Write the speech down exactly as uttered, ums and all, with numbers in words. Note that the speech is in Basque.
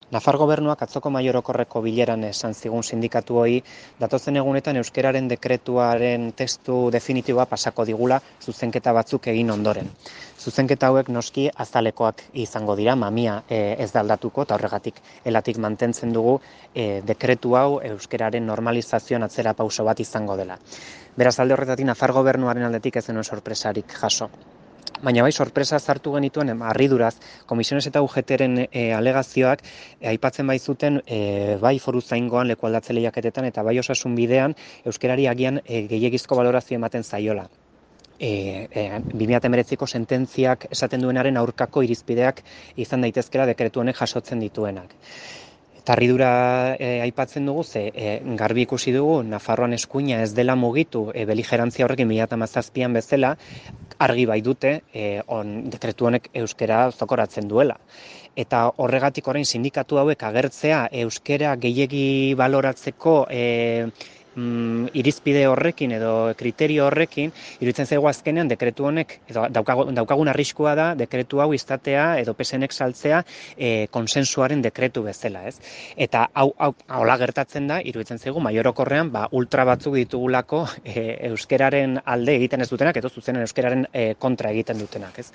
Nafar gobernuak atzoko mahai orokorreko bileran esan zigun sindikatuoi datozen egunetan euskararen dekretuaren testu definitiboa pasako digula zuzenketa batzuk egin ondoren. Zuzenketa hauek noski azalekoak izango dira, mamia e, ez da aldatuko eta horregatik elatik mantentzen dugu e, dekretu hau euskararen normalizazioan atzera pauso bat izango dela. Beraz, alde horretatik Nafar gobernuaren aldetik ez zenuen sorpresarik jaso. Baina bai, sorpresa sartu genituen harriduraz, komisiones eta U G T-ren e, alegazioak e, aipatzen baizuten e, bai foru zaingoan leku aldatze lehiaketetan eta bai osasun bidean euskerari agian e, gehiegizko balorazio ematen zaiola. E, e, bi mila hemeretziko sententziak esaten duenaren aurkako irizpideak izan daitezkela dekretu honek jasotzen dituenak. Eta harridura e, aipatzen dugu, ze e, garbi ikusi dugu, Nafarroan eskuina ez dela mugitu e, beligerantzia horrekin bi mila hamazazpian bezala, argi bai dute e, on, dekretu honek euskera zokoratzen duela. Eta horregatik orain sindikatu hauek agertzea euskera gehiegi baloratzeko e, mm, irizpide horrekin edo kriterio horrekin, iruditzen zaigu azkenean dekretu honek, edo daukagun, daukagun arriskua da dekretu hau izatea edo P S Nek saltzea e, konsensuaren dekretu bezala, ez? Eta hau, hau hola gertatzen da, iruditzen zaigu mahai orokorrean ba, ultra batzuk ditugulako e, euskeraren alde egiten ez dutenak, edo zuzenen euskeraren e, kontra egiten dutenak, ez?